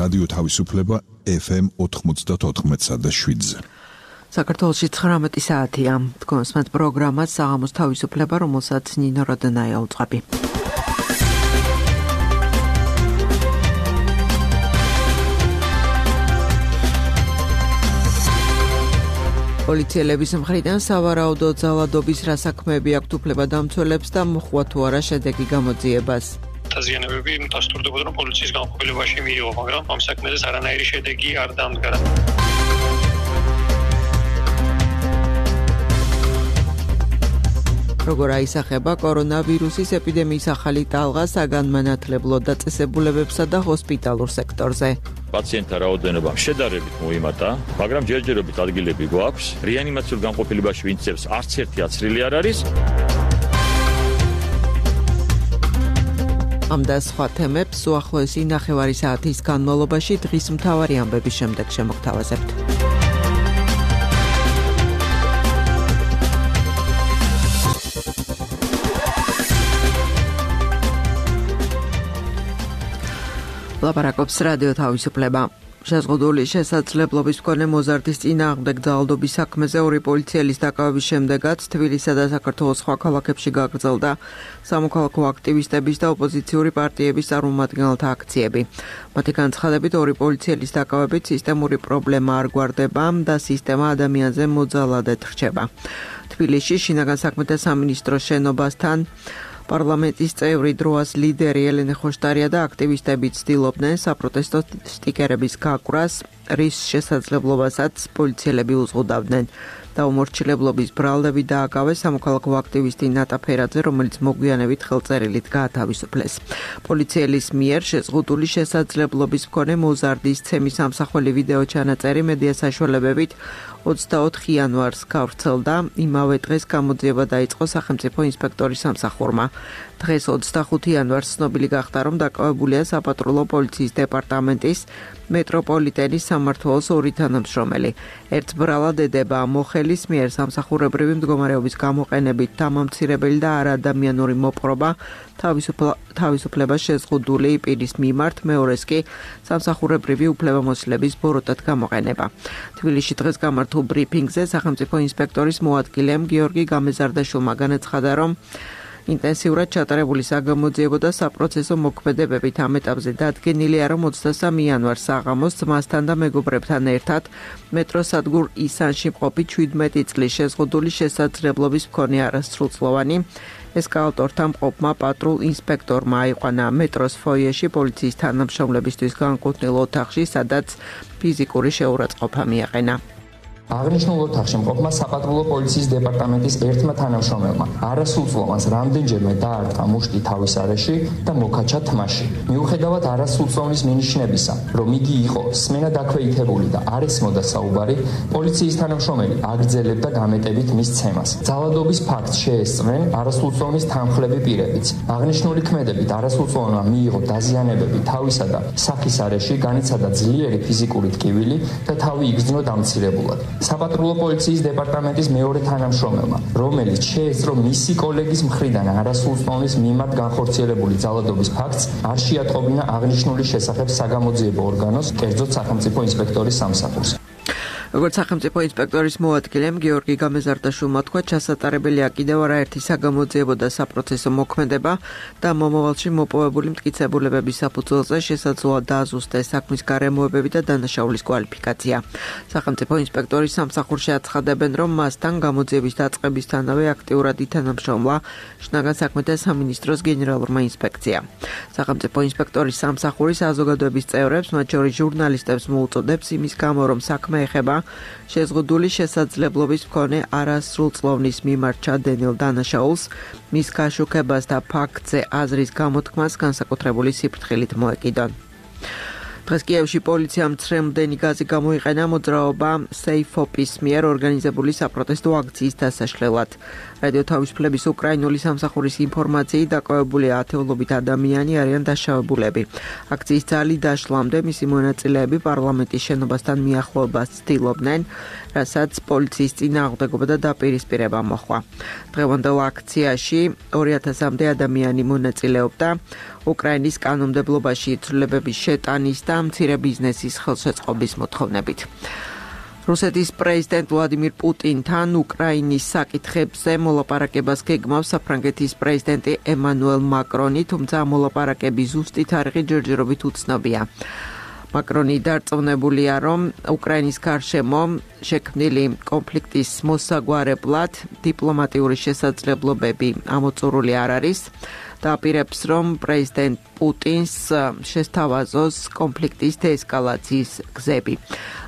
რადიო თავისუფლება FM 94.7-ზე. საქართველოში 19 საათია. თქვენს პროგრამას საღამოს თავისუფლება, რომელსაც ნინო როდნაია უწყები. პოლიციელების მხრიდან სავარაუდო ძალადობის რა საქმეები აქვთ უფლებადამცველებს და მოხვა თუ არა შედეგი გამოძიებას. დაზიანებები დასტურდებოდა, რომ პოლიციის განყოფილებაში მიიღო, მაგრამ ამ საქმეზე არანაირი შედეგი არ დამდგარა. როგორ აისახება კორონავირუსის ეპიდემიის ახალი ტალღა საგანმანათლებლო დაწესებულებებსა და ჰოსპიტალურ სექტორზე. პაციენტთა რაოდენობა შედარებით მოიმატა, მაგრამ ჯერჯერობით ადგილები გვაქვს. რეანიმაციულ განყოფილებაში ვინცებს არც ერთი აცრილი არ არის. ამ და სხვა თემებს უახლოესი 9 საათის განმავლობაში დღის მთავარი ამბების შემდეგ შემოგთავაზებთ. ლაპარაკობს რადიო თავისუფლება. შეზღუდული შესაძლებლობის მქონე მოზარდის წინააღმდეგ ძალადობის საქმეზე ორი პოლიციელის დაკავების შემდეგაც თბილისსა და საქართველოს სხვა ქალაქებში გაგრძელდა სამოქალაქო აქტივისტების და ოპოზიციური პარტიების წარმომადგენელთა აქციები. მათი განცხადებით, ორი პოლიციელის დაკავებით სისტემური პრობლემა არ გვარდება და სისტემა ადამიანზე მოძალადეთ რჩება. თბილისში შინაგან საქმეთა სამინისტროს შენობასთან პარლამენტის წევრი დროას ლიდერი ელენე ხოშტარია და აქტივისტები ცდილობდნენ საპროტესტო სტიკერების გაკვრას, რის შესაძლებლობასაც პოლიციელები უზღუდავდნენ. დაუმორჩილებლობის ბრალდები დააკავეს სამოქალაქო აქტივისტი ნატა ფერაძე, რომელიც მოგვიანებით ხელწერილით გაათავისუფლეს. პოლიციელის მიერ შეზღუდული შესაძლებლობის მქონე მოზარდის ცემის ამსახველი ვიდეო ჩანაწერი მედია საშუალებებით 24 იანვარს გავრცელდა. იმავე დღეს გამოძიება დაიწყო სახელმწიფო ინსპექტორის სამსახურმა. დღეს 25 იანვარს ცნობილი გახდა, რომ დაკავებულია საპატრულო პოლიციის დეპარტამენტის მეტროპოლიტენის სამმართველოს ორი თანამშრომელი. ერთ ბრალად ედება მოხელის მიერ სამსახურებრივი მდგომარეობის გამოყენებით დამამცირებელი და არაადამიანური მოპყრობა თავისუფლებას შეზღუდული პირის მიმართ, მეორეს კი სამსახურებრივი უფლებამოსილების ბოროტად გამოყენება. თბილისში დღეს გამართულ ბრიფინგზე სახელმწიფო ინსპექტორის მოადგილემ გიორგი გამეზარდაშვილმა განაცხადა, რომ ინტენსიურად ჩატარებული საგამოძიებო და საპროცესო მოქმედებებით ამ ეტაპზე დადგენილია, რომ 23 იანვარს საღამოს ძმასთან და მეგობრებთან ერთად მეტროსადგურ ისანში მყოფი 17 წლის შეზღუდული შესაძლებლობის მქონე არასრულწლოვანი ესკალატორთან მყოფმა პატრულ ინსპექტორმა აიყვანა მეტროს ფოიეში პოლიციის თანამშრომლებისთვის განკუთვნილ ოთახში, სადაც ფიზიკური შეურაცხყოფა მიაყენა. აღნიშნულ ოთახში მყოფმა საპატრულო პოლიციის დეპარტამენტის ერთმა თანამშრომელმა არასრულწლოვანს რამდენჯერმე დაარტყა მუშტი თავის არეში და მოკაჩა თმაში. მიუხედავად არასრულწლოვნის მინიშნებისა, რომ იგი იყო სმენადაქვეითებული და არ ესმოდა საუბარი, პოლიციის თანამშრომელი აგრძელებდა გამეტებით მის ცემას. ძალადობის ფაქტს შეესწრნენ არასრულწლოვნის თანმხლები პირებიც. აღნიშნული ქმედებით არასრულწლოვანმა მიიღო დაზიანებები თავისა და სახის არეში, განიცადა ძლიერი ფიზიკური ტკივილი და თავი იგრძნო დამცირებულად. საპატრულო პოლიციის დეპარტამენტის მეორე თანამშრომელმა, რომელიც შეესწრო მისი კოლეგის მხრიდან არასრულწლოვნის მიმართ განხორციელებული ძალადობის ფაქტს, არ შეატყობინა აღნიშნული შესახებ საგამოძიებო ორგანოს, კერძოდ სახელმწიფო ინსპექტორის სამსახურს. როგორც სახელმწიფო ინსპექტორის მოადგილემ გიორგი გამეზარდაშვილმა თქვა, ჩასატარებელია კიდევ არაერთი საგამოძიებო და საპროცესო მოქმედება და მომავალში მოპოვებული მტკიცებულებების საფუძველზე შესაძლოა დააზუსტეს საქმის გარემოებები და დანაშაულის კვალიფიკაცია. სახელმწიფო ინსპექტორის სამსახურში აცხადებენ, რომ მასთან გამოძიების დაწყებისთანავე აქტიურად ითანამშრომლა შინაგან საქმეთა სამინისტროს გენერალურმა ინსპექციამ. სახელმწიფო ინსპექტორის სამსახურის საზოგადოების წევრებს, მათ შორის ჟურნალისტებს მოუწოდებს იმის გამო, რომ საქმე ეხება შეზღუდული შესაძლებლობის მქონე არასრულწლოვნის მიმართ ჩადენილ დანაშაულს, მის გაშუქებას და ფაქტზე აზრის გამოთქმას განსაკუთრებული სიფრთხილით მოეკიდონ. დღეს კიევში პოლიციამ ცრემლდენი გაზი გამოიყენა მოძრაობა SafeOp-ის მიერ ორგანიზებული საპროტესტო აქციის დასაშლელად. რადიო თავისუფლების უკრაინული სამსახურის ინფორმაციით დაკავებული ათეულობით ადამიანი არიან დაშავებულები. აქციის ძალი დაშლამდე მისი მონაწილეები პარლამენტის შენობასთან მიახლოებას ცდილობდნენ. რასაც პოლიციის წინააღმდეგობა და დაპირისპირება მოჰყვა. დღევანდელ აქციაში 2000-მდე ადამიანი მონაწილეობდა უკრაინის კანონმდებლობაში ცვლილებების შეტანის და მცირე ბიზნესის ხელშეწყობის მოთხოვნებით. რუსეთის პრეზიდენტ ვლადიმირ პუტინთან უკრაინის საკითხებზე მოლაპარაკებას გეგმავს საფრანგეთის პრეზიდენტი ემანუელ მაკრონი, თუმცა მოლაპარაკების ზუსტი თარიღი ჯერჯერობით უცნობია. მაკრონი დარწმუნებულია, რომ უკრაინის გარშემო შექმნილი კონფლიქტის მოსაგვარებლად დიპლომატიური შესაძლებლობები ამოწურული არ არის და აპირებს, რომ პრეზიდენტ პუტინს შესთავაზოს კონფლიქტის დეესკალაციის გზები.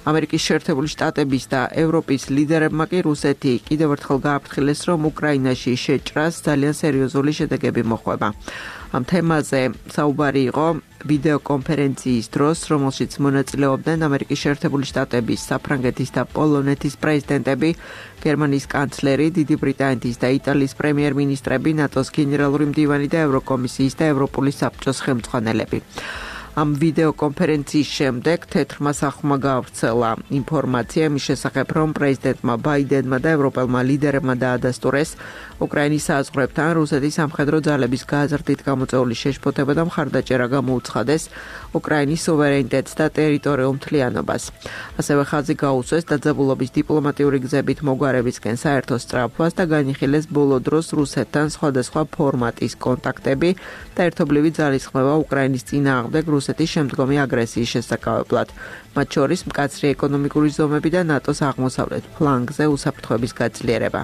ამერიკის შეერთებული შტატების და ევროპის ლიდერებმა კი რუსეთი კიდევ ერთხელ გააფრთხილეს, რომ უკრაინაში შეჭრას ძალიან სერიოზული შედეგები მოჰყვება. ამ თემაზე საუბარი იყო ვიდეოკონფერენციის დროს, რომელშიც მონაწილეობდნენ ამერიკის შეერთებული შტატების, საფრანგეთის და პოლონეთის პრეზიდენტები, გერმანიის კანცლერი, დიდი ბრიტანეთის და იტალიის პრემიერ-მინისტრები, ნატოს გენერალური მდივანი და ევროკომისიის და ევროპული საბჭოს ხელმძღვანელები. ამ ვიდეოკონფერენციის შემდეგ თეთრმა სახლმა გაავრცელა ინფორმაცია იმის შესახებ, რომ პრეზიდენტმა ბაიდენმა და ევროპელმა ლიდერებმა დაადასტურეს უკრაინის საზღვრებთან რუსეთის სამხედრო ძალების გაზრდით გამოწვეული შეშფოთება და მხარდაჭერა გამოუცხადეს უკრაინის სუვერენიტეტს და ტერიტორიულ მთლიანობას. ასევე ხაზი გაუსვეს დაძაბულობის დიპლომატიური გზებით მოგვარებისკენ საერთო სწრაფვას და განიხილეს ბოლო დროს რუსეთთან სხვადასხვა ფორმატის კონტაქტები და ერთობლივი ძალისხმევა უკრაინის წინააღმდეგ რუსეთის შემდგომი აგრესიის შესაკავებლად, მათ შორის მკაცრი ეკონომიკური ზომები და ნატოს აღმოსავლეთ ფლანგზე უსაფრთხოების გაძლიერება.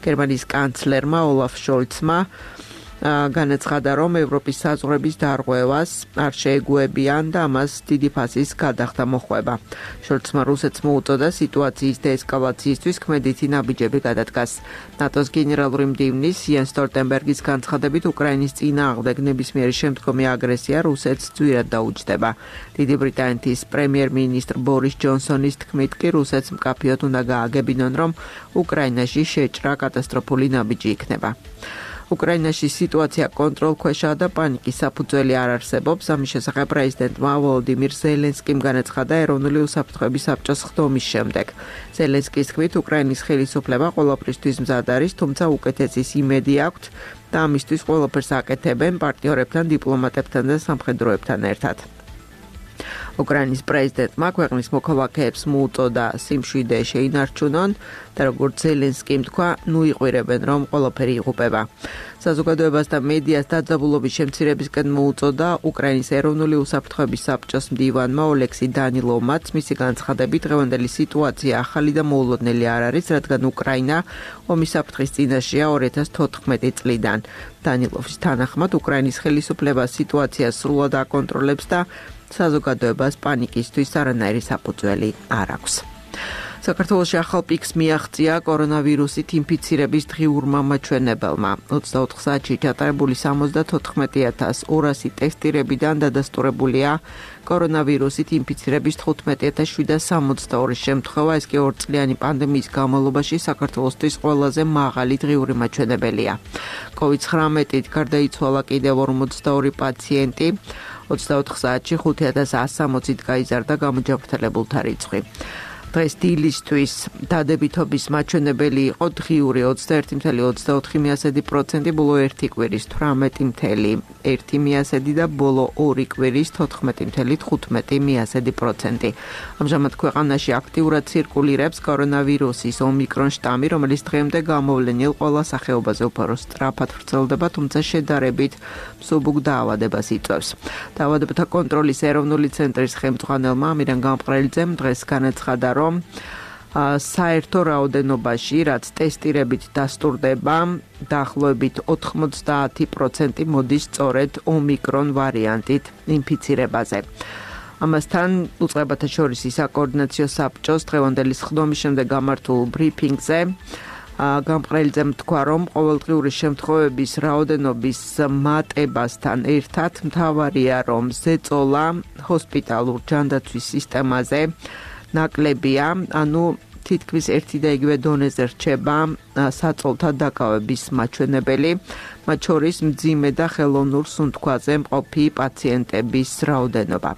გერმანიის კანცლერმა ოლაფ შოლცმა განაცხადა, რომ ევროპის საზღვრების დარღვევას არ შეეგუებიან და ამას დიდი ფასის გადახდა მოჰყვება. შოლცმა რუსეთს მოუწოდა სიტუაციის დეესკალაციისთვის ქმედითი ნაბიჯები გადადგას. ნატოს გენერალური მდივნის იენს სტოლტენბერგის განცხადებით უკრაინის წინააღმდეგ ნებისმიერი შემდგომი აგრესია რუსეთს ძვირად დაუჯდება. დიდი ბრიტანეთის პრემიერ-მინისტრ ბორის ჯონსონის თქმით კი რუსეთს მკაფიოდ უნდა გააგებინონ, რომ უკრაინაში შეჭრა კატასტროფული ნაბიჯი იქნება. უკრაინაში სიტუაცია კონტროლქვეშაა და პანიკის საფუძველი არ არსებობს. ამის შესახებ პრეზიდენტმა ვოლოდიმირ ზელენსკიმ განაცხადა ეროვნული უსაფრთხოების საბჭოს ხდომის შემდეგ. ზელენსკის თქმით, უკრაინის ხელისუფლება ყველაფრისთვის მზად არის, თუმცა უკეთესის იმედი აქვთ და ამისთვის ყველაფერს აკეთებენ პარტნიორებთან, დიპლომატებთან და სამხედროებთან ერთად. უკრაინის პრეზიდენტმა ქვეყნის მოქალაქეებს მოუწოდა სიმშვიდე შეინარჩუნონ და როგორც ზელენსკიმ თქვა, ნუ იყვირებენ, რომ ყველაფერი იღუპება. საზოგადოებას და მედიას დაძაბულობის შემცირებისკენ მოუწოდა უკრაინის ეროვნული უსაფრთხოების საბჭოს მდივანმა ოლექსი დანილოვმაც. მისი განცხადებით, დღევანდელი სიტუაცია ახალი და მოულოდნელი არ არის, რადგან უკრაინა ომის საფრთხის წინაშეა 2014 წლიდან. დანილოვის თანახმად, უკრაინის ხელისუფლება სიტუაციას სრულად აკონტროლებს და საზოგადოებას პანიკისთვის არანაირი საფუძველი არ აქვს. საქართველოში ახალ პიკს მიაღწია კორონავირუსით ინფიცირების დღიურმა მაჩვენებელმა. 24 საათში ჩატარებული 74,200 ტესტირებიდან დადასტურებულია კორონავირუსით ინფიცირების 15,762 შემთხვევა. ეს კი 2 წლიანი პანდემიის განმავლობაში საქართველოსთვის ყველაზე მაღალი დღიური მაჩვენებელია. COVID-19-ით გარდაიცვალა კიდევ 42 პაციენტი. 24 საათში 5160-ით გაიზარდა გამოჯანმრთელებულთა რიცხვი. დღეს დილისთვის დადებითობის მაჩვენებელი იყო დღიური 21,24%, ბოლო 1 კვირის 18,1% და ბოლო 2 კვირის 14,15%. ამჟამად ქვეყანაში აქტიურად ცირკულირებს კორონავირუსის ომიკრონ შტამი, რომელიც დღემდე გამოვლენილ ყველა სახეობაზე უფრო სწრაფად ვრცელდება, თუმცა შედარებით მსუბუქ დაავადებას იწვევს. დაავადებათა კონტროლის ეროვნული ცენტრის ხელმძღვანელმა ამირან გამყრელიძემ დღეს განაცხადა, რომ საერთო რაოდენობაში, რაც ტესტირებით დასტურდება, დაახლოებით 90% მოდის სწორედ ომიკრონ ვარიანტით ინფიცირებაზე. ამასთან უწყებათა შორის საკოორდინაციო საბჭოს დღევანდელი ხდომის შემდეგ გამართულ ბრიფინგზე გამყრელიძემ თქვა, რომ ყოველდღიური შემთხვევების რაოდენობის მატებასთან ერთად მთავარია, რომ ზეწოლა ჰოსპიტალურ ჯანდაცვის სისტემაზე ნაკლებია, ანუ თითქმის ერთი და იგივე დონეზე რჩება საწოლთა დაკავების მაჩვენებელი, მათ შორის მძიმე და ხელოვნურ სუნთქვაზე მყოფი პაციენტების რაოდენობა.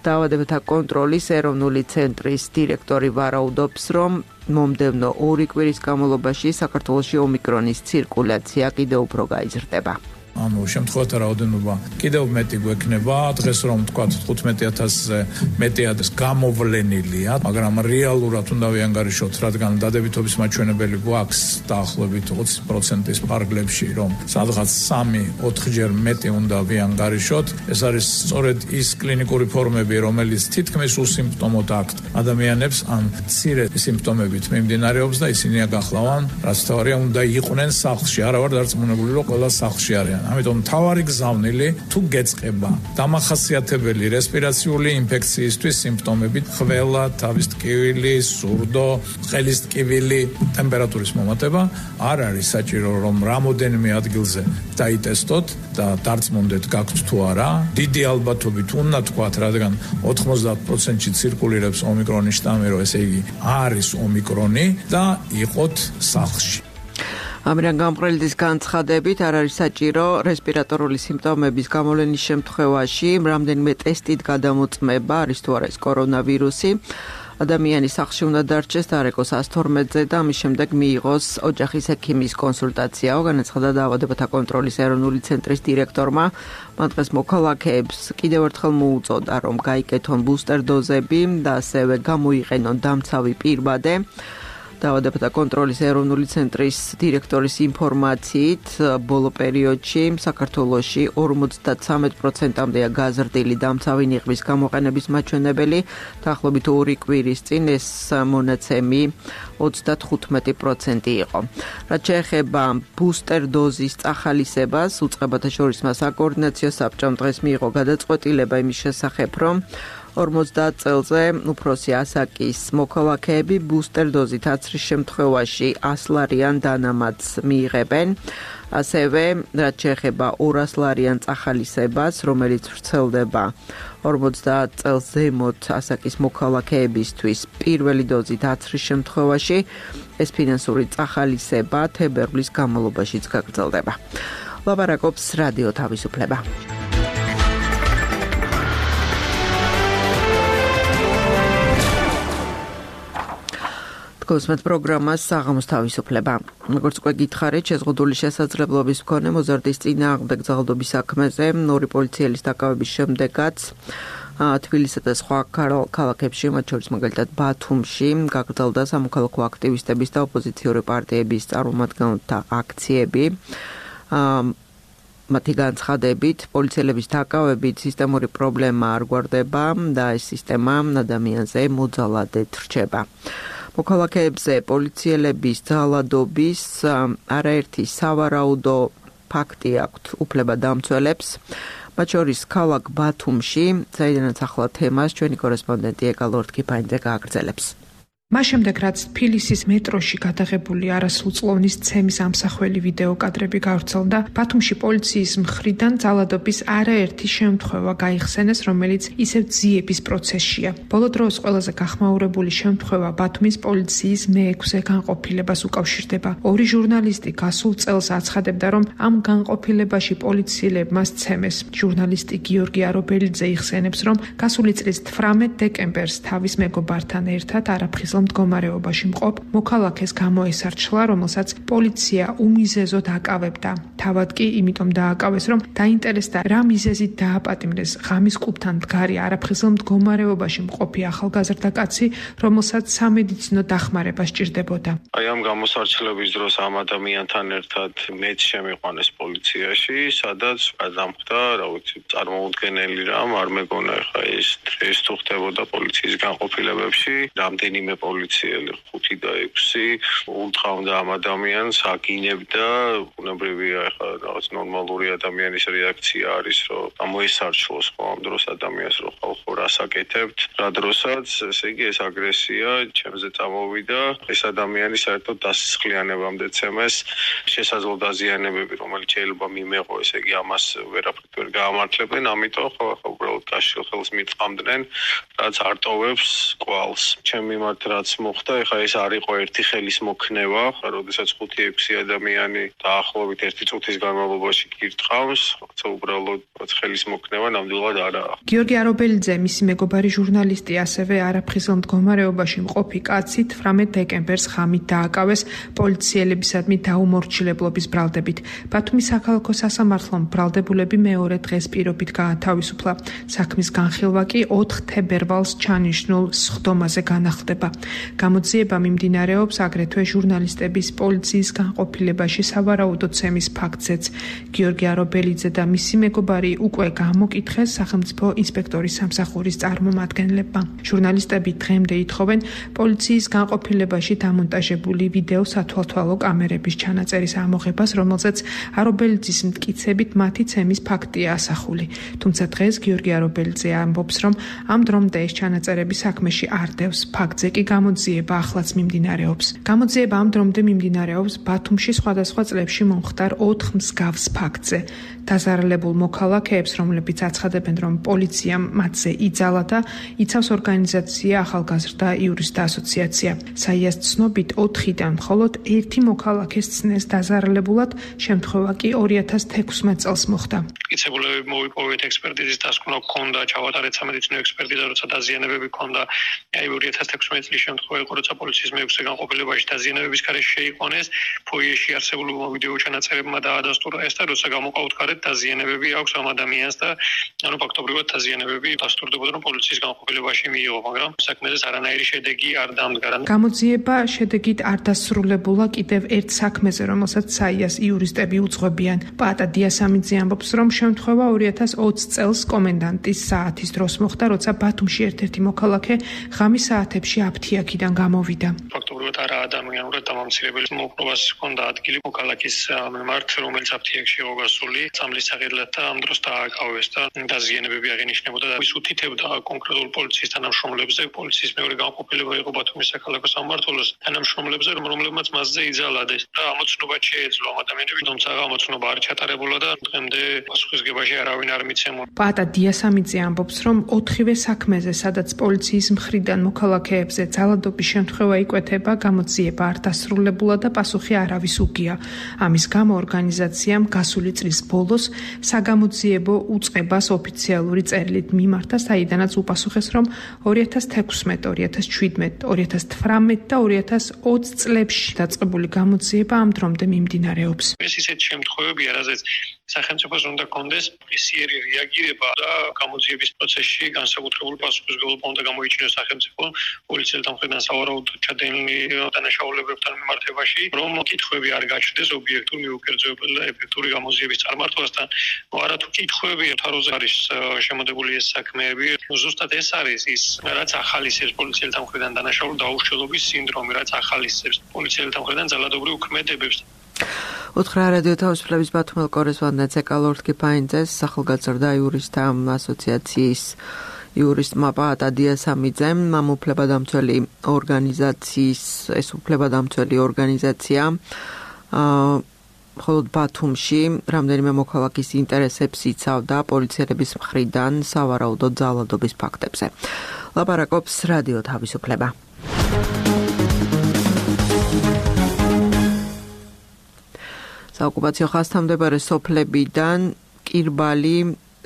დაავადებათა კონტროლის ეროვნული ცენტრის დირექტორი ვარაუდობს, რომ მომდევნო 2 კვირის განმავლობაში საქართველოში ომიკრონის ცირკულაცია კიდევ უფრო გაიზრდება. ანუ შემთხვევათა რაოდენობა კიდევ მეტი გვექნება, დღეს რომ თქვა 15,000-ზე მეტი არის გამოვლენილია, მაგრამ რეალურად უნდა ვიანგარიშოთ, რადგან დადებითობის მაჩვენებელი გვაქვს დაახლოებით 20%-ის ფარგლებში, რომ სადღაც 3-4 ჯერ მეტი უნდა ვიანგარიშოთ. ეს არის სწორედ ის კლინიკური ფორმები, რომელიც თითქმის უსიმპტომოდ აქვთ ადამიანებს, ან მცირე სიმპტომებით მიმდინარეობს და ისინი აგახლავან, რაც თავარია უნდა იყვნენ სახლში, არა ვარ დარწმუნებული, რომ ყველა სახლში არიან. ამიტომ თავარი გზავნილი თუ გეწყება დამახასიათებელი რესპირაციული ინფექციისთვის სიმპტომები, ხველა, თავის ტკივილი, სურდო, ხელის ტკივილი, ტემპერატურის მომატება, არ არის საჭირო რომ რამოდენიმე ადგილზე დაიტესტოთ და დარწმუნდეთ გაქვთ თუ არა. დიდი ალბათობით უნდა თქვათ, რადგან 90%-ში ცირკულირებს ომიკრონის შტამი, რომ ესე იგი არის ომიკრონი და იყოთ სახლში. ამერან გამყრელიძის განცხადებით არ არის საჭირო რესპირატორული სიმპტომების გამოვლენის შემთხვევაში რამდენიმე ტესტით გადამოწმება, არის თუ არა ეს კორონავირუსი. ადამიანი სახლში უნდა დარჩეს დარეკოს 112-ზე და ამის შემდეგ მიიღოს ოჯახის ექიმის კონსულტაცია. განაცხადა დაავადებათა კონტროლის ეროვნული ცენტრის დირექტორმა. მან დღეს მოქალაქეებს კიდევ ერთხელ მოუწოდა, რომ გაიკეთონ ბუსტერ დოზები და ასევე გამოიყენონ დამცავი პირბადე. დაავადებათა კონტროლის ეროვნული ცენტრის დირექტორის ინფორმაციით, ბოლო პერიოდში საქართველოში 53%-ამდეა გაზრდილი დამცავი ნიღბის გამოყენების მაჩვენებელი, დაახლოებით 2 კვირის წინ ეს მონაცემი 35% იყო. რაც შეეხება ბუსტერ დოზის წახალისებას, უწყებათა შორის საკოორდინაციო საბჭომ დღეს მიიღო გადაწყვეტილება იმის შესახებ, რომ 50 წელზე უფროსი ასაკის მოქალაქეები ბუსტერ დოზით აცრის შემთხვევაში 100 ლარიან დანამატს მიიღებენ. ასევე რაც შეეხება 200 ლარიან წახალისებას, რომელიც ვრცელდება 50 წელს ზემოთ ასაკის მოქალაქეებისთვის პირველი დოზით აცრის შემთხვევაში, ეს ფინანსური წახალისება თებერვლის განმავლობაშიც გაგრძელდება. ლაპარაკობს რადიო თავისუფლება. გოსმეთ პროგრამას საღამოს თავისუფლება. როგორც უკვე გითხარით, შეზღუდული შესაძლებლობის მქონე მოზარდის წინააღმდეგ ძალადობის საქმეზე ორი პოლიციელის დაკავების შემდეგაც თბილისსა და სხვა ქალაქებში, მათ შორის მაგალითად ბათუმში, გაგრძელდა სამოქალაქო აქტივისტების და ოპოზიციური პარტიების წარმომადგენელთა აქციები. მათი განცხადებით, პოლიციელების დაკავებით სისტემური პრობლემა არ გვარდება და ეს სისტემა ადამიანზე მოძალადედ რჩება. მოქალაქეებზე პოლიციელების ძალადობის არაერთი სავარაუდო ფაქტი აქვთ უფლებადამცველებს, მათ შორის ქალაქ ბათუმში, საიდანაც ახლა თემას ჩვენი კორესპონდენტი ეკალორთქიფაინძე გააგრძელებს. მას შემდეგ, რაც თბილისის მეტროში გადაღებული არასრულწლოვნის ცემის ამსახველი ვიდეო კადრები გავრცელდა, ბათუმში პოლიციის მხრიდან ძალადობის არაერთი შემთხვევა გაიხსენეს, რომელიც ისევ ძიების პროცესშია. ბოლო დროს ყველაზე გახმაურებული შემთხვევა ბათუმის პოლიციის მე-6 განყოფილებას უკავშირდება. ორი ჟურნალისტი გასულ წელს აცხადებდა, რომ ამ განყოფილებაში პოლიციელებმა სცემეს. ჟურნალისტი გიორგი არობელიძე იხსენებს, რომ გასული წლის 18 დეკემბერს თავის მეგობართან ერთად არაფხიზელ მდგომარეობაში მყოფ მოქალაქეს გამოესარჩლა, რომელსაც პოლიცია უმიზეზოდ აკავებდა. თავად კი იმიტომ დააკავეს, რომ დაინტერესდა რა მიზეზით დააპატიმრეს ღამის კლუბთან მდგარი არაფხიზელ მდგომარეობაში მყოფი ახალგაზრდა კაცი, რომელსაც სამედიცინო დახმარება სჭირდებოდა. აი ამ გამოსარჩლების დროს ამ ადამიანთან ერთად მეც შემიყვანეს პოლიციაში, სადაც გადამხდა, რა ვიცი, წარმოუდგენელი რამ, არ მეგონა ხა ეს თუ ხდებოდა პოლიციის განყოფილებებში, რამდენიმე პოლიციელი 5 და 6 უთხოვდა ამ ადამიანს, აგინებდა, ბუნებრივია ხა რაღაც ნორმალური ადამიანის რეაქცია არის, რომ გამოესარჩლოს ხო ამ დროს ადამიანს, რომ ხალხო რას აკეთებთ, რა დროსაც, ესე იგი ეს აგრესია ჩემზე წამოვიდა, ეს ადამიანი საერთოდ დასისხლიანებამდე ცემეს, შესაძლო დაზიანებები, რომელიც შეიძლება მიმეყო, ესე იგი ამას ვერაფრით ვერ გაამართლებენ, ამიტომ ხო უბრალოდ გაშილ ხელს მიწამდნენ, რაც არტოვებს კვალს. ჩემ მიმართ რაც მოხდა, ეხლა ეს არ იყო ერთი ხელის მოქნევა, როდესაც 5-6 ადამიანი დაახლოებით 1 წუთის განმავლობაში გირტყავს, თუმცა უბრალოდ ხელის მოქნევა ნამდვილად არაა. გიორგი არობელიძე, მისი მეგობარი ჟურნალისტი, ასევე არაფხიზელ მდგომარეობაში მყოფი კაცი 18 დეკემბერს ღამით დააკავეს პოლიციელებისადმი დაუმორჩილებლობის ბრალდებით. ბათუმის საქალაქო სასამართლომ ბრალდებულები მეორე დღეს პირობით გაათავისუფლა. საქმის განხილვა კი 4 თებერვალს ჩანიშნულ სხდომაზე განახლდება. გამოძიება მიმდინარეობს აგრეთვე ჟურნალისტების პოლიციის განყოფილებაში სავარაუდო ცემის ფაქტზეც. გიორგი არობელიძე და მისი მეგობარი უკვე გამოკითხეს სახელმწიფო ინსპექტორის სამსახურის წარმომადგენლებმა. ჟურნალისტები დღემდე ითხოვენ პოლიციის განყოფილებაში დამონტაჟებული ვიდეო სათვალთვალო კამერების ჩანაწერის ამოღებას, რომელზეც არობელიძის მტკიცებით მათი ცემის ფაქტია ასახული. თუმცა დღეს გიორგი არობელიძე ამბობს, რომ ამ დრომდე ეს ჩანაწერები საქმეში არ დევს. ფაქტზე კი გამოძიება ახლაც მიმდინარეობს. გამოძიება ამ დრომდე მიმდინარეობს ბათუმში სხვადასხვა წლებში მომხდარ 4 მსგავს ფაქტზე. დაზარალებულ მოქალაქეებს, რომლებიც აცხადებენ, რომ პოლიციამ მათზე იძალა და იცავს ორგანიზაცია ახალგაზრდა იურისტთა ასოციაცია. საიას ცნობით 4-დან მხოლოდ 1 მოქალაქეს ცნეს დაზარალებულად, შემთხვევა კი 2016 წელს მოხდა. მტკიცებულები მოვიპოვეთ ექსპერტიზის დასკვნა ჰქონდა, ჩავატარეთ სამედიცინო ექსპერტიზა, როცა დაზიანებები ჰქონდა. 2016 წლის შემთხვევა იყო, როცა პოლიციის მეექვსე განყოფილებაში დაზიანებების გარეშე შეიყვანეს, ფოიეში არსებულმა ვიდეო ჩანაწერებმა დაადასტურა ეს და როცა გამოყავთ დაზიანებები აქვს ამ ადამიანს და ფაქტობრივად დაზიანებები დასტურდებოდა, რომ პოლიციის განყოფილებაში მიიღო, მაგრამ საქმეზე არანაირი შედეგი არ დამდგა. გამოძიება შედეგით არ დასრულებულა კიდევ ერთ საქმეზე, რომელსაც საიას იურისტები უძღვებიან. პაატა დიასამიძე ამბობს, რომ შემთხვევა 2020 წელს კომენდანტის საათის დროს მოხდა, როცა ბათუმში ერთ-ერთი მოქალაქე ღამის საათებში აფთიაქიდან გამოვიდა. ფაქტობრივად არა ადამიანურად დამამცირებელი მოპყრობას ჰქონდა ადგილი მოქალაქის მიმართ, რომელიც აფთიაქში იყო გასული. სამლის საყიდლად და ამ დროს დააკავეს და დაზიანებები აღინიშნებოდა და ის უთითებდა კონკრეტულ პოლიციის თანამშრომლებზე, პოლიციის მეორე განყოფილება იყო ბათუმის საქალაქო სამმართველოს თანამშრომლებზე, რომლებმაც მასზე იძალადეს და ამოცნობა შეეძლო ამ ადამიანები, თუმცა ამოცნობა არ ჩატარებულა და დღემდე პასუხისგებაში არავინ არ მიცემულა. პაატა დიასამიძე ამბობს, რომ 4-ვე საქმეზე, სადაც პოლიციის მხრიდან მოქალაქეებზე ძალადობის შემთხვევა იკვეთება, გამოძიება არ დასრულებულა და პასუხი არავის უგია. ამის გამო ორგანიზაციამ გასული წლის ბოლოს საგამოძიებო უწყებას ოფიციალური წერილით მიმართა, საიდანაც უპასუხეს, რომ 2016, 2017, 2018 და 2020 წლებში დაწყებული გამოძიება ამ დრომდე მიმდინარეობს. ეს ისეთ შემთხვევებია, რაზეც სახელმწიფოს უნდა კონდეს ისიერი რეაგირება და გამოძიების პროცესში განსაკუთრებული პასუხისმგებლობა უნდა გამოიჩინოს სახელმწიფო პოლიციელთა მხრიდან სავარაუდოდ ჩადენილი დანაშაულებებთან მიმართებაში, რომ კითხვები არ გაჩნდეს ობიექტურ, მიუკერძოებელ და ეფექტური გამოძიების წარმართვასთან. არათუ კითხვები თაროზე არის შემოდებული ეს საქმეები. ზუსტად ეს არის ის, რაც ახალისებს პოლიციელთა მხრიდან დანაშაული დაუშლობის სინდრომი, რაც ახალისებს პოლიციელთა მხრიდან ძალადობრივ ქმედებებს. უთხრა რადიო თავისუფლების ბათუმელ კორესპონდენტს ეკალორდ კიფაინძეს, ახალგაზრდა იურისტთა ასოციაციის იურისტმა პაატა დიასამიძემ, ამ უფლებადამცველი ორგანიზაცია მხოლოდ ბათუმში რამდენიმე მოქალაქის ინტერესებს იცავდა პოლიციელების მხრიდან სავარაუდო ძალადობის ფაქტებზე. ლაპარაკობს რადიო თავისუფლება. საოკუპაციო ხაზთამდებარე სოფლებიდან კირბალი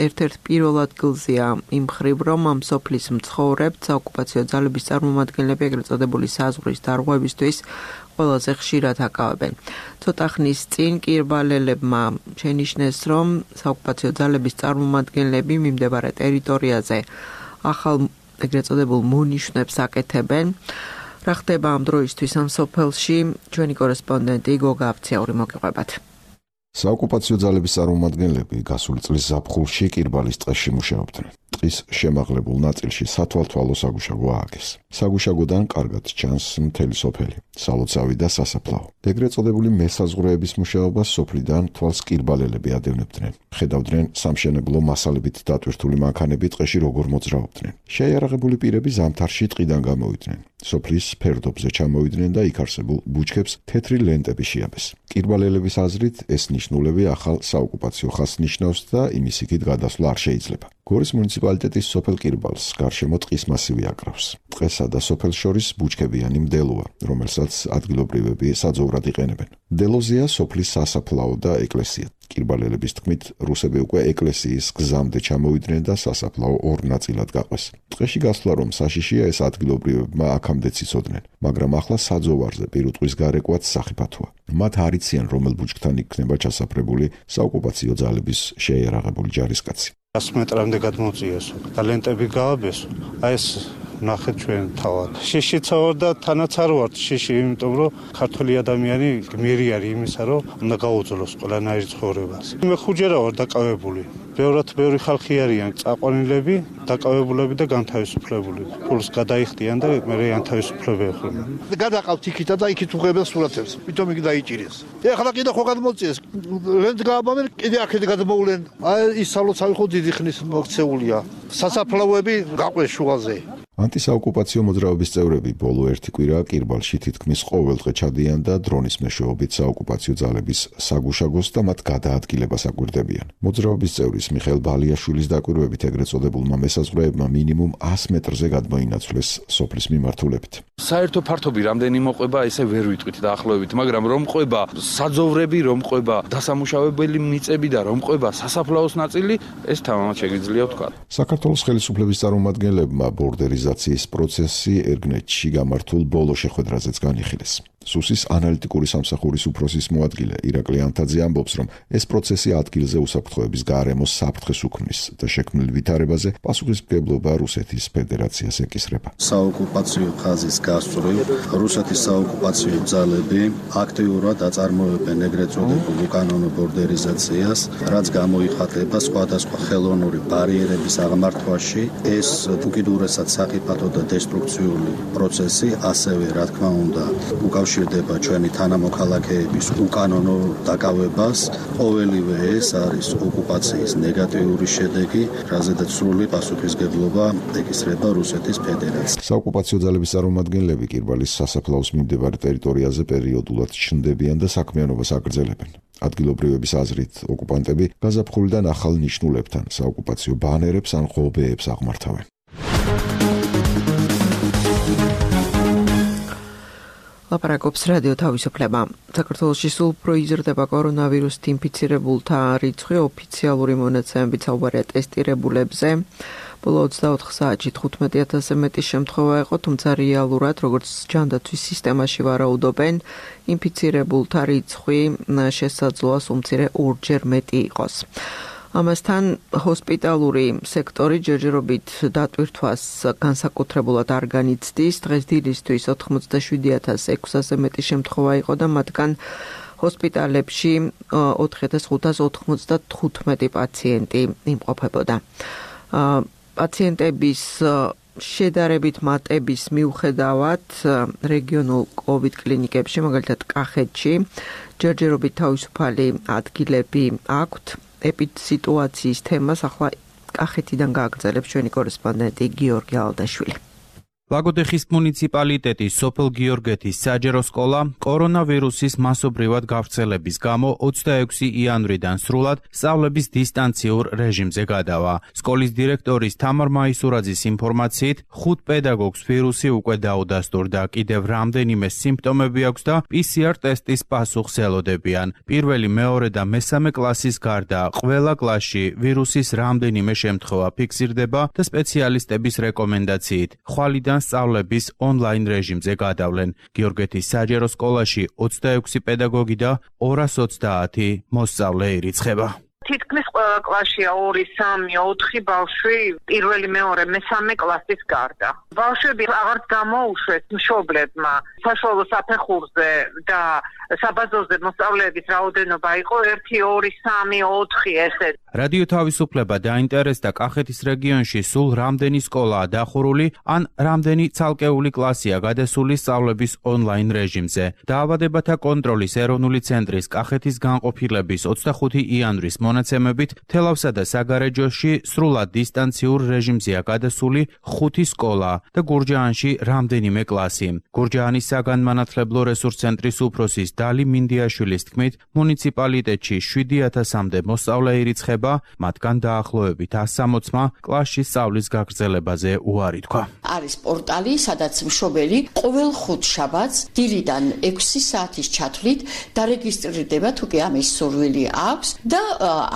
ერთ-ერთ პირველ ადგილზეა იმ მხრივ, რომ ამ სოფლის მცხოვრებთ საოკუპაციო ძალების წარმომადგენლები ეგრეთ წოდებული საზღვრის დარღვევისთვის ყველაზე ხშირად აკავებენ. ცოტა ხნის წინ კირბალელებმა შენიშნეს, რომ საოკუპაციო ძალების წარმომადგენლები მიმდებარე ტერიტორიაზე ახალ ეგრეთ წოდებულ მონიშნებს აკეთებენ. რა ხდება ამ დროისთვის ამ სოფელში, ჩვენი კორესპონდენტი გოგა აფციური მოგიყვებათ. საოკუპაციო ძალების წარმომადგენლები გასული წლის ზაფხულში კირბალის ტყეში მუშაობდნენ. ტყის შემაღლებულ ნაწილში სათვალთვალო საგუშაგო ააგეს. საგუშაგოდან კარგად ჩანს მთელი სოფელი, სალოცავი და სასაფლაო. ეგრეთ წოდებული მესაზღვრეების მუშაობას სოფლიდან თვალს კირბალელები ადევნებდნენ. ხედავდნენ სამშენებლო მასალებით დატვირთული მანქანები ტყეში როგორ მოძრაობდნენ. შეიარაღებული პირები ზამთარში ტყიდან გამოვიდნენ. სოფლის ფერდობზე ჩამოვიდნენ და იქ არსებულ ბუჩქებს თეთრი ლენტები შეაბეს. კირბალელების აზრით ეს ნიშნულები ახალ საოკუპაციო ხაზს ნიშნავს და იმის იქით გადასვლა არ შეიძლება. გორის მუნიციპალიტეტის სოფელ კირბალს გარშემო ტყის მასივი აკრავს. ტყესა და სოფელს შორის ბუჩქებიანი მდელოა, რომელსაც ადგილობრივები საძოვრად იყენებენ. მდელოზეა სოფლის სასაფლაო და ეკლესია. კირბალელების თქმით, რუსები უკვე ეკლესიის გზამდე ჩამოვიდნენ და სასაფლაო ორ ნაწილად გაყვეს. ტყეში გასვლა რომ საშიშია, ეს ადგილობრივებმა აქამდე ციცოდნენ, მაგრამ ახლა საძოვარზე პირუტყვის გარეკვაც სახიფათოა. მათ არ იციან, რომელ ბუჩქთან იქნება ჩასაფრებული საოკუპაციო ძალების შეიარაღებული ჯარისკაცი. 100 მეტრამდე გადმოწიეს და ლენტები გააბესო. აი ეს ნახეთ ჩვენ თავად. შიშიცა ვარ და თანაც არ ვარ შიში, იმიტომ რომ ქართველი ადამიანი გმირი არის იმისა, რომ უნდა გაუძლოს ყველანაირ ცხოვრებას. მე ხუჯერა ვარ დაკავებული. ბევრი ხალხი არიან წაყვანილები, დაკავებულები და განთავისუფლებული. ფულს გადაიხდიან და მე განთავისუფლება ეხვდნენ. გადაყავთ იქით და იქით უღებელ სურათებს. თვითონ იგი დაიჭირეს. ეხლა კიდე ხო გადმოწიეს. ლენტ გააბამენ, კიდე აქეთ გადმოვლენ. აი ის სალოცავი ხო დიდი ხნის მოქცეულია. სასაფლაოები გაყვეს შუაზე. ანტისაოკუპაციო მოძრაობის წევრები ბოლო ერთი კვირა კირბალში თითქმის ყოველდღე ჩადიან და დრონის მეშვეობით საოკუპაციო ძალების საგუშაგოს და მათ გადაადგილებას აკვირდებიან. მოძრაობის წევრის მიხეილ ბალიაშვილის დაკვირვებით ეგრეთ წოდებულმა მესაზღვრეებმა მინიმუმ 100 მეტრზე გადმოინაცვლეს სოფლის მიმართულებით. საერთო ფართობი რამდენი მოყვება, ესე ვერ ვიტყვით დაახლოებით, მაგრამ რომ ყვება საძოვრები, რომ ყვება დასამუშავებელი მიწები და რომ ყვება სასაფლაოს ნაწილი, ეს თამამად შეგვიძლია ვთქვა. საქართველოს ხელისუფლების წარმომადგენლებმა ბორდერიზაციის პროცესი ერგნეთში გამართულ ბოლო შეხვედრაზეც განიხილეს. სუსის ანალიტიკური სამსახურის უფროსის მოადგილე ირაკლი ანთაძე ამბობს, რომ ეს პროცესი ადგილზე უსაფრთხოების გარემოს საფრთხეს უქმნის და შექმნილ ვითარებაზე პასუხისმგებლობა რუსეთის ფედერაციას ეკისრება. საოკუპაციო ხაზის გასწვრივ რუსეთის საოკუპაციო ძალები აქტიურად აწარმოებენ ეგრეთ წოდებულ უკანონო ბორდერიზაციას, რაც გამოიხატება სხვადასხვა ხელოვნური ბარიერების აღმართვაში. ეს უკიდურესად სახიფათო და დესტრუქციული პროცესი, ასევე რა თქმა უნდა, უკავშირდება ჩვენი თანამოქალაქეების უკანონო დაკავებას. ყოველივე ეს არის ოკუპაციის ნეგატიური შედეგი, რაზედაც სრული პასუხისმგებლობა ეკისრება რუსეთის ფედერაციას. საოკუპაციო ძალების წარმომადგენლები კირბალის სასაფლაოს მიმდებარე ტერიტორიაზე პერიოდულად ჩნდებიან და საქმიანობას აგრძელებენ. ადგილობრივების აზრით, ოკუპანტები გაზაფხულიდან ახალ ნიშნულებთან საოკუპაციო ბანერებს ან ღობეებს აღმართავენ. ლაპარაკობს რადიო თავისუფლება. საქართველოში სულ უფრო იზრდება კორონავირუსით ინფიცირებულთა რიცხვი, ოფიციალური მონაცემებით საუბარია ტესტირებულებზე. ბოლო 24 საათში 15,000-ზე მეტი შემთხვევა იყო, თუმცა რეალურად, როგორც ჯანდაცვის სისტემაში ვარაუდობენ, ინფიცირებულთა რიცხვი შესაძლოა უმცირე 2-ჯერ მეტი იყოს. ამასთან ჰოსპიტალური სექტორი ჯერჯერობით დატვირთვას განსაკუთრებულად არ განიცდის. დღეს დილისთვის 87,600-ზე მეტი შემთხვევა იყო და მათგან ჰოსპიტალებში 4,595 პაციენტი იმყოფებოდა. პაციენტების შედარებით მატების მიუხედავად რეგიონულ COVID კლინიკებში, მაგალითად კახეთში, ჯერჯერობით თავისუფალი ადგილები აქვთ. ეპიდსიტუაციის თემას ახლა კახეთიდან გააგრძელებს ჩვენი კორესპონდენტი გიორგი ალდაშვილი. ლაგოდეხის მუნიციპალიტეტის სოფელ გიორგეთის საჯარო სკოლა კორონავირუსის მასობრივად გავრცელების გამო 26 იანვრიდან სრულად სწავლების დისტანციურ რეჟიმზე გადავა. სკოლის დირექტორის თამარ მაისურაძის ინფორმაციით, 5 პედაგოგს ვირუსი უკვე დაუდასტურდა, კიდევ რამდენიმე სიმპტომები აქვს და PCR ტესტის პასუხს ელოდებიან. პირველი, მეორე და მესამე კლასის გარდა ყველა კლასში ვირუსის რამდენიმე შემთხვევა ფიქსირდება და სპეციალისტების რეკომენდაციით ხვალიდან სწავლების ონლაინ რეჟიმზე გადავლენ. გიორგეთის საჯარო სკოლაში 26 პედაგოგი და 230 მოსწავლე ირიცხება. თითქმის ყველა კლასშია 2, 3, 4 ბავშვი პირველი, მეორე, მესამე კლასის გარდა. ბავშვები აღარც გამოუშვეს მშობლებმა საშუალო საფეხურზე და საბაზოზე მოსწავლეების რაოდენობა იყო 1, 2, 3, 4 ესე. რადიო თავისუფლება დაინტერესდა კახეთის რეგიონში სულ რამდენი სკოლაა დახურული ან რამდენი ცალკეული კლასია გადასული სწავლების ონლაინ რეჟიმზე. დაავადებათა კონტროლის ეროვნული ცენტრის კახეთის განყოფილების 25 იანვრის მონაცემებით თელავსა და საგარეჯოში სრულად დისტანციურ რეჟიმზეა გადასული 5 სკოლა და გურჯაანში რამდენიმე კლასი. გურჯაანის საგანმანათლებლო რესურს ცენტრის უფროსის დალი მინდიაშვილის თქმით, მუნიციპალიტეტში 7000-მდე მოსწავლე ირიცხება, მათგან დაახლოებით 160-მა კლასში სწავლის გაგრძელებაზე უარი თქვა. არის პორტალი, სადაც მშობელი ყოველ ხუთშაბათს დილიდან 6 საათის ჩათვლით დარეგისტრირდება, თუ კი ამის სურვილი აქვს და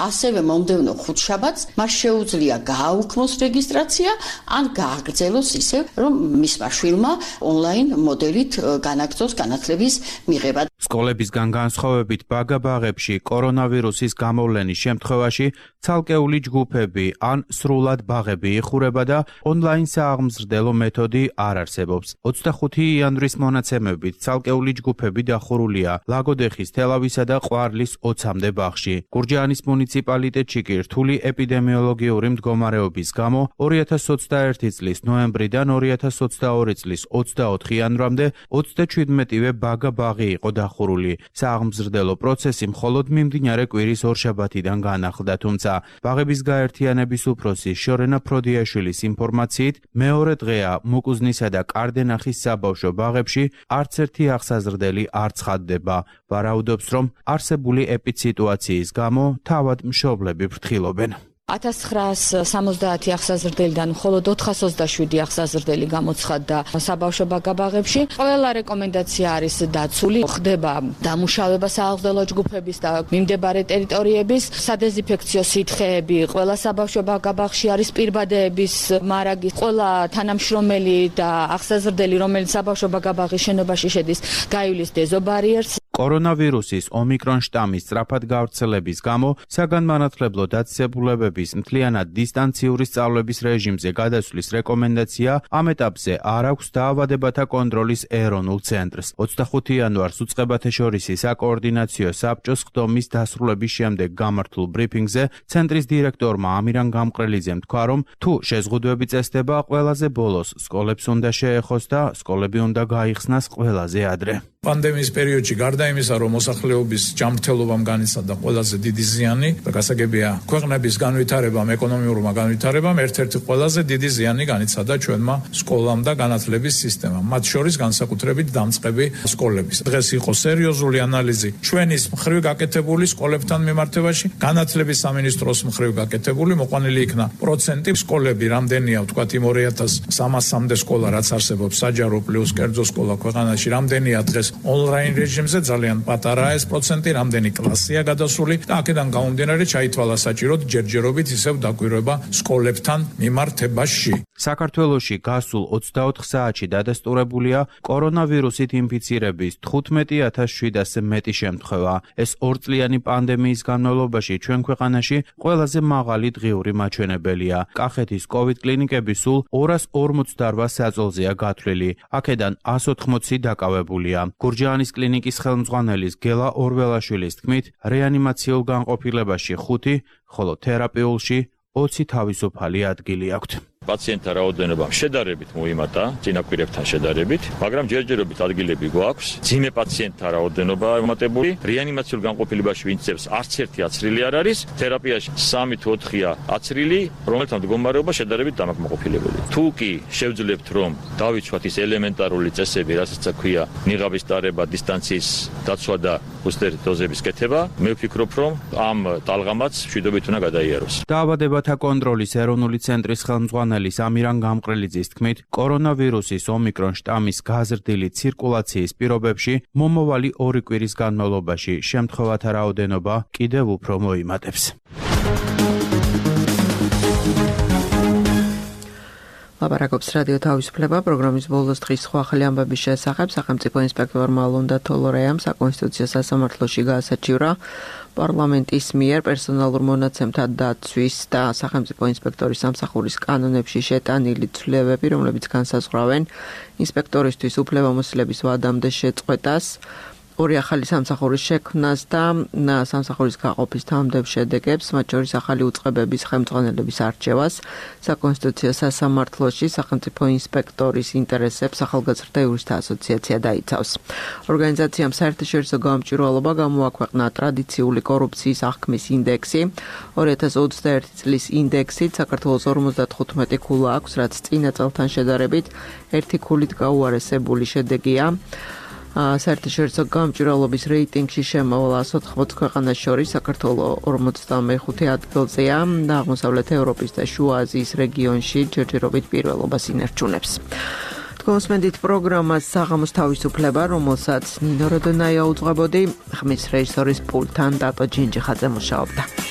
ასევე მომდევნო ხუთშაბათს მას შეუძლია გააუქმოს რეგისტრაცია ან გააგრძელოს ისე, რომ მისმა შვილმა ონლაინ მოდელით განაგრძოს განათლების მიღება. სკოლებისგან განსხვავებით ბაგა-ბაღებში კორონავირუსის გამოვლენის შემთხვევაში ცალკეული ჯგუფები ან სრულად ბაღები იხურება და ონლაინ სააღმზრდელო მეთოდი არ არსებობს. 25 იანვრის მონაცემებით ცალკეული ჯგუფები დახურულია ლაგოდეხის, თელავისა და ყვარლის 20-მდე ბაღში. გურჯაანის მუნიციპალიტეტში კი რთული ეპიდემიოლოგიური მდგომარეობის გამო 2021 წლის ნოემბრიდან 2022 წლის 24 იანვრამდე 37-ვე ბაგა-ბაღი იყო დახურული. სააღმზრდელო პროცესი მხოლოდ მიმდინარე კვირის ორშაბათიდან განახლდა, თუმცა ბაღების გაერთიანების უფროსი შორენა ფროდიაშვილის ინფორმაციით მეორე დღეა მუკუზნისა და კარდენახის საბავშვო ბაღებში არც ერთი აღსაზრდელი არ ცხადდება. ვარაუდობს, რომ არსებული ეპიდსიტუაციის გამო თავად მშობლები ფრთხილობენ. 1970 აღსაზრდელიდან მხოლოდ 427 აღსაზრდელი გამოცხადდა საბავშვო ბაგა-ბაღებში. ყველა რეკომენდაცია არის დაცული, ხდება დამუშავება სააღმზრდელო ჯგუფების და მიმდებარე ტერიტორიების, სადეზინფექციო სითხეები, ყველა საბავშვო ბაგა-ბაღში არის პირბადეების მარაგი, ყველა თანამშრომელი და აღსაზრდელი, რომელიც საბავშვო ბაგა-ბაღის შენობაში შედის, გაივლის დეზობარიერს. კორონავირუსის ომიკრონ შტამის სწრაფად გავრცელების გამო საგანმანათლებლო დაწესებულებების მთლიანად დისტანციური სწავლების რეჟიმზე გადასვლის რეკომენდაცია ამ ეტაპზე არ აქვს დაავადებათა კონტროლის ეროვნულ ცენტრს. 25 იანვარს უწყებათაშორისი საკოორდინაციო საბჭოს ხდომის დასრულების შემდეგ გამართულ ბრიფინგზე ცენტრის დირექტორმა ამირან გამყრელიძემ თქვა, რომ თუ შეზღუდვები წესდება, ყველაზე ბოლოს სკოლებს უნდა შეეხოს და სკოლები უნდა გაიხსნას ყველაზე ადრე. პანდემიის პერიოდში გარდა იმისა, რომ მოსახლეობის ჯანმრთელობამ განიცადა ყველაზე დიდი ზიანი და გასაგებია ქვეყნების განვითარებამ, ეკონომიურმა განვითარებამ ერთ-ერთი ყველაზე დიდი ზიანი განიცადა ჩვენმა სკოლამ და განათლების სისტემამ, მათ შორის განსაკუთრებით დამწყები სკოლების. დღეს იყო სერიოზული ანალიზი ჩვენის მხრივ გაკეთებული სკოლებთან მიმართებაში, განათლების სამინისტროს მხრივ გაკეთებული, მოყვანილი იქნა პროცენტი სკოლები რამდენია, ვთქვათ იმ 2300-მდე სკოლა, რაც არსებობს საჯარო პლუს კერძო სკოლა ქვეყანაში, რამდენია დღეს ონლაინ რეჟიმზე, ძალიან პატარაა ეს პროცენტი, რამდენი კლასია გადასული და აქედან გამომდინარე ჩაითვალა საჭიროდ ჯერჯერობით ისევ დაკვირვება სკოლებთან მიმართებაში. საქართველოში გასულ 24 საათში დადასტურებულია კორონავირუსით ინფიცირების 15700-ზე მეტი შემთხვევა. ეს ორწლიანი პანდემიის განმავლობაში ჩვენ ქვეყანაში ყველაზე მაღალი დღიური მაჩვენებელია. კახეთის COVID კლინიკები სულ 248 საწოლზეა გათვლილი. აქედან 180 დაკავებულია. გურჯაანის კლინიკის ხელმძღვანელის გელა ორველაშვილის თქმით, რეანიმაციულ განყოფილებაში 5, ხოლო თერაპიულში 20 თავისუფალი ადგილი აქვთ. პაციენტთა რაოდენობა შედარებით მოიმატა წინაპირებთან შედარებით, მაგრამ ჯერჯერობით ადგილები გვაქვს. ძიმე პაციენტთა რაოდენობა მომატებული, რეანიმაციულ განყოფილებაში ვინცებს არც ერთი აცრილი არ არის, თერაპიაში 3 თუ 4-ია აცრილი, რომელთა მდგომარეობა შედარებით დამაკმაყოფილებელი. თუ კი შევძლებთ, რომ დავიცვათ ის ელემენტარული წესები, რასაც ქვია ნიღაბის დარება, დისტანციის დაცვა და ბუსტერ დოზების კეთება, მე ვფიქრობ, რომ ამ ტალღამაც მშვიდობით უნდა გადაიაროს. დაავადებათა კონტროლის ეროვნული ცენტრის ხელმძღვანელის ამირან გამყრელიძის თქმით, კორონავირუსის ომიკრონ შტამის გაზრდილი ცირკულაციის პირობებში მომავალი 2 კვირის განმავლობაში შემთხვევათა რაოდენობა კიდევ უფრო მოიმატებს. ლაპარაკობს რადიო თავისუფლება პროგრამის ბოლოს დღის სხვა ახალი ამბების შესახებ. სახელმწიფო ინსპექტორმა ლონდა თოლორეამ საკონსტიტუციო სასამართლოში გაასაჩივრა პარლამენტის მიერ პერსონალურ მონაცემთა დაცვის და სახელმწიფო ინსპექტორის სამსახურის კანონებში შეტანილი ცვლილებები, რომლებიც განსაზღვრავენ ინსპექტორისთვის უფლებამოსილების ვადამდე შეწყვეტას, 2 ახალი სამსახურის შექმნას და სამსახურის გაყოფის თანამდებობ შედეგებს, მათ შორის ახალი უწყებების ხელმძღვანელების არჩევას, საკონსტიტუციო სასამართლოში სახელმწიფო ინსპექტორის ინტერესებს ახალგაზრდა იურისტთა ასოციაცია დაიცავს. ორგანიზაციამ საერთაშორისო გამომჭირვალობა გამოაქვეყნა ტრადიციული კორუფციის აღქმის ინდექსი. 2021 წლის ინდექსით საქართველოს 55 ქულა აქვს, რაც წინა წელთან შედარებით 1 ქულით გაუარესებული შედეგია. საერთაშორისო გამჭვირვალობის რეიტინგში შემოვალ 180 ქვეყანას შორის საქართველოს 45 ადგილზეა და აღმოსავლეთ ევროპის და შუა აზიის რეგიონში ჯერჯერობით პირველობას ინარჩუნებს. Თქვენსმენდით პროგრამას საღამოს თავისუფლება, რომელსაც ნინო როდონაია უძღვებოდი, ხმის რეჟისორის პულტთან დატო ჯინჯიხაძე მუშაობდა.